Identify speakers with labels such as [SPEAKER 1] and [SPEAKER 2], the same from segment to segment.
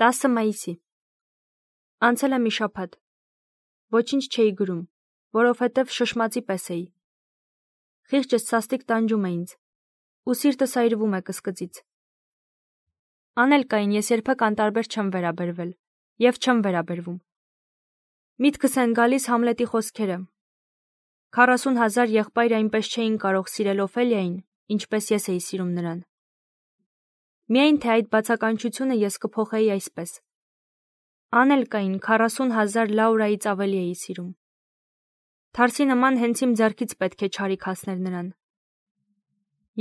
[SPEAKER 1] 10 մայիսի։ Անցել է մի շաբաթ։ Ոչինչ չէի գրում, որովհետև շշմածի պես էի։ Խիղճս սաստիկ տանջում է ինձ, ու սիրտս այրվում է կսկծից։ Անել կային, ես երբեք անտարբեր չեմ վերաբերվել, և չեմ վերաբերվում։ Միտքս են գալիս Համլետի խոսքերը։ 40,000 եղբայր այնպես չէին կարող սիրել Օֆելիային, ինչպես ես էի սիրում նրան։ Միայն թե այդ բացականչությունը ես կփոխեի այսպես. անել կային 40,000 Լաուրայից ավելի էի սիրում։ Թարսի նման հենց իմ ձեռքից պետք է չարիք հասներ նրան։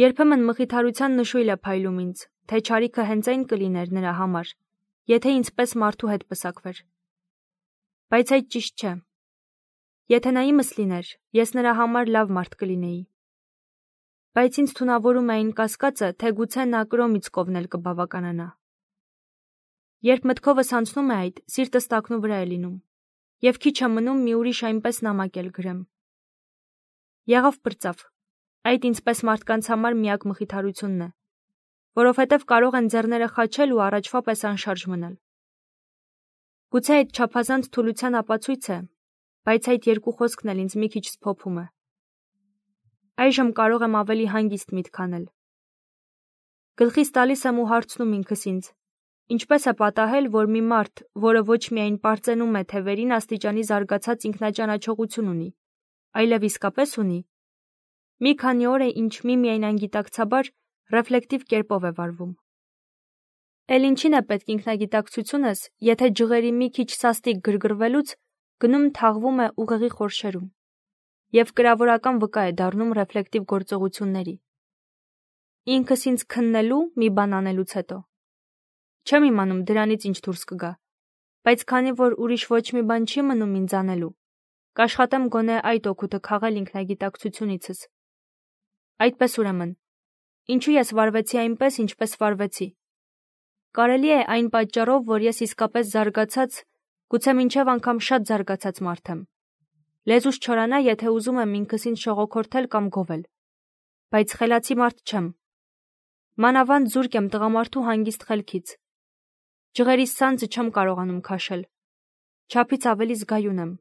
[SPEAKER 1] Երբեմն մխիթարության նշույլ է փայլում ինձ, թե չարիքը հենց այն կլիներ նրա համար, եթե ինձպես մարդու հետ պսակվեր։ Բայց այդ ճիշտ չէ։ Եթե նա իմս լիներ, ես նրա համար լավ մարդ կլինեի։ Բայց ինձ թունավորում է այն կասկածը, թե գուցե նա կրոմից կովնել կբավականանա։ Երբ մտքովս անցնում է այդ, սիրտս տակնու վրա է լինում, և քիչ է մնում մի ուրիշ այնպես նամակ էլ գրեմ։ Եղավ պրծավ, այդ ինձպես մարդկանց համար միակ մխիթարությունն է, որովհետև կարող են ձեռները խաչել ու առաջվա պես անշարժ մնալ։ Գուցե այդ չափազանց թուլության ապացույց է, բայց այդ երկու խոսքն էլ ինձ մի քիչ սփոփում է։ Այժմ կարող եմ ավելի հանգիստ միտք անել։ Գլխիս տալիս եմ ու հարցնում ինքս ինձ. ինչպես է պատահել, որ մի մարդ, որը ոչ միայն պարծենում է, թե վերին աստիճանի զարգացած ինքնաճանաչողություն ունի, այլև իսկապես ունի, մի քանի օր է ինչ միմիայն անգիտակցաբար ռեֆլեկտիվ կերպով է վարվում։ Էլ ինչին է պետք ինքնագիտակցությունս, եթե ջղերի մի քիչ սաստիկ գրգռվելուց գնում թաղվում է ուղեղի խորշերում, և կրավորական վկա է դառնում ռեֆլեկտիվ գործողությունների։ Ինքս ինձ քննելու մի բան անելուց հետո։ Չեմ իմանում դրանից ինչ դուրս կգա, բայց քանի որ ուրիշ ոչ մի բան չի մնում ինձ անելու, կաշխատեմ գոնե այդ օգուտը քաղել ինքնագիտակցությունիցս։ Այդպես ուրեմն, ինչու ես վարվեցի այնպես, ինչպես վարվեցի։ Կարելի է այն պատճառով, որ ես իսկապես զարգացած, գուցե մինչև անգամ շատ զարգացած մարդ եմ։ Լեզուս չորանա, եթե ուզում եմ ինքս ինձ շողոքորթել կամ գովել, բայց խելացի մարդ չեմ։ Մանավանդ զուրկ եմ տղամարդու հանգիստ խելքից։ Ջղերիս սանձը չեմ կարողանում քաշել։ Չափից ավելի զգայուն եմ։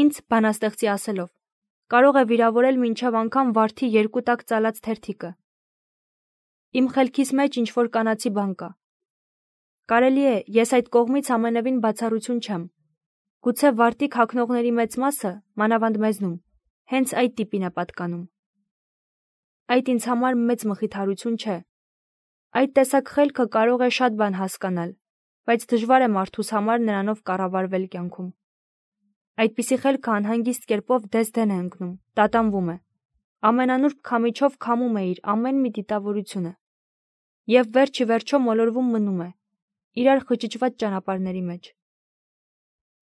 [SPEAKER 1] Ինձ, բանաստեղծի ասելով, կարող է վիրավորել մինչև անգամ վարդի 2 տակ ծալած թերթիկը։ Իմ խելքիս մեջ ինչ-որ կանացի բան կա։ Կարելի է, ես այդ կողմից ամենևին բացառություն չեմ։ Գուցե վարտիք հագնողների մեծ մասը, մանավանդ մեզնում, հենց այդ տիպին է պատկանում։ Այդ ինձ համար մեծ մխիթարություն չէ։ Այդ տեսակ խելքը կարող է շատ բան հասկանալ, բայց դժվար է մարդուս համար նրանով կառավարվել կյանքում։ Այդպիսի խելքը անհանգիստ կերպով դես-դեն է ընկնում, տատանվում է, ամենանուրբ քամիչով քամում է իր ամեն մի դիտավորությունը, և վերջ ի վերջո մոլորվում մնում է, իրար խճճված ճանապարհների մեջ։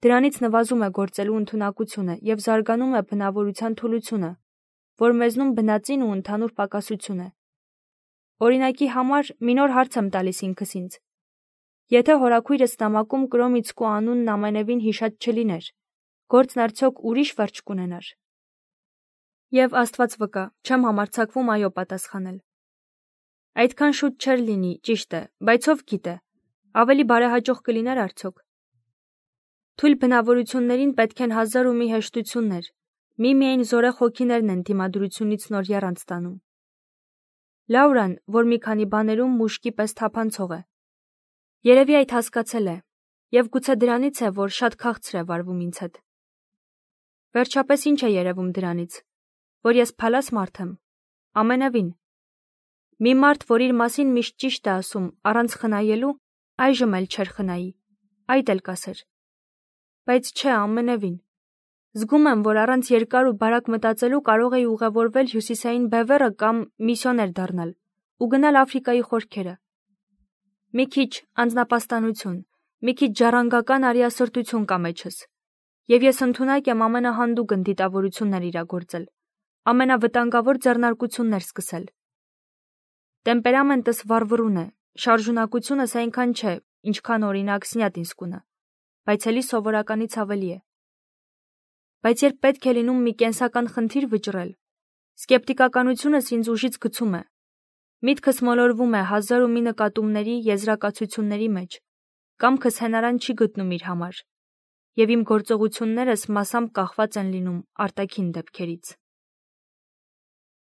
[SPEAKER 1] Դրանից նվազում է գործելու ընդունակությունը և զարգանում է բնավորության թուլությունը, որ մեզնում բնածին ու ընդհանուր պակասություն է։ Օրինակի համար մի նոր հարց եմ տալիս ինքս ինձ. եթե հորաքույրս նամակում Կրոմիցկու անունն ամենևին հիշած չլիներ, գործն արդյոք ուրիշ վերջ կունենար։ Եվ Աստված վկա, չեմ համարձակվում այո պատասխանել։ Այդքան շուտ չէր լինի, ճիշտ է, բայց ով գիտե, ավելի բարեհաջող կլիներ արդյոք։ Թույլ բնավորություններին պետք են հազար ու մի հեշտություններ, միմիայն զորեղ հոգիներն են դիմադրությունից նոր եռանց տանում։ Լաուրան, որ մի քանի բաներում մուշկի պես թափանցող է, երևի այդ հասկացել է, և գուցե դրանից է, որ շատ քաղցր է վարվում ինձ հետ։ Վերջապես ինչ է երևում դրանից, որ ես փալաս մարդ եմ, ամենևին։ Մի մարդ, որ իր մասին միշտ ճիշտ է ասում, առանց խնայելու, այժմ էլ չէր խնայի, այդ էլ կասեր։ Բայց չէ, ամենևին։ Զգում եմ, որ առանց երկար ու բարակ մտածելու կարող էի ուղևորվել հյուսիսային բևեռը կամ միսիոներ դառնալ ու գնալ Աֆրիկայի խորքերը։ Մի քիչ անձնապաստանություն, մի քիչ ժառանգական արիասրտություն կա մեջս, և ես ընդունակ եմ ամենահանդուգն դիտավորություններ իրագործել, ամենավտանգավոր ձեռնարկություններ սկսել։ Տեմպերամենտս վառվռուն է, շարժունակությունս այնքան չէ, ինչքան օրինակ Սնյատինսկունը, բայց էլի սովորականից ավելի է։ Բայց երբ պետք է լինում մի կենսական խնդիր վճռել, սկեպտիկականությունս ինձ ուժից գցում է։ Միտքս մոլորվում է հազար ու մի նկատումների, եզրակացությունների մեջ, կամքս հենարան չի գտնում իր համար, եւ իմ գործողություններս մասամբ կախված են լինում արտաքին դեպքերից։